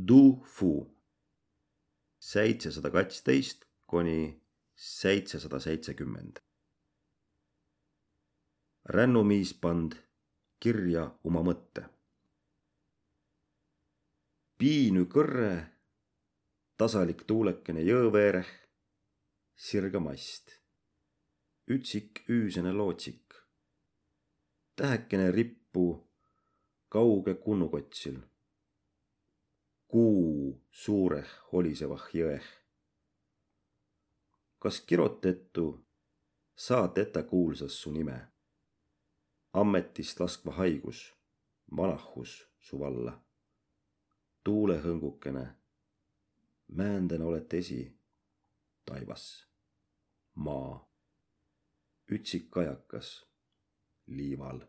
Du-fu 712 kuni 770. Rännumiis pand kirja oma mõtte. Piinü kõrre, tasalik tuulekene jõõveereh, sirga mast. Ütsik üüsene lootsik. Tähekene rippu kauge kunnukotsil. Kuu suureh holisevah jõeh. Kas kirotettu saat etä kuulsas su nime? Ammetist laskva haigus, manahus su valla. Tuulehõngukene, määnden olet esi, taivas, maa. Ütsik kajakas liival.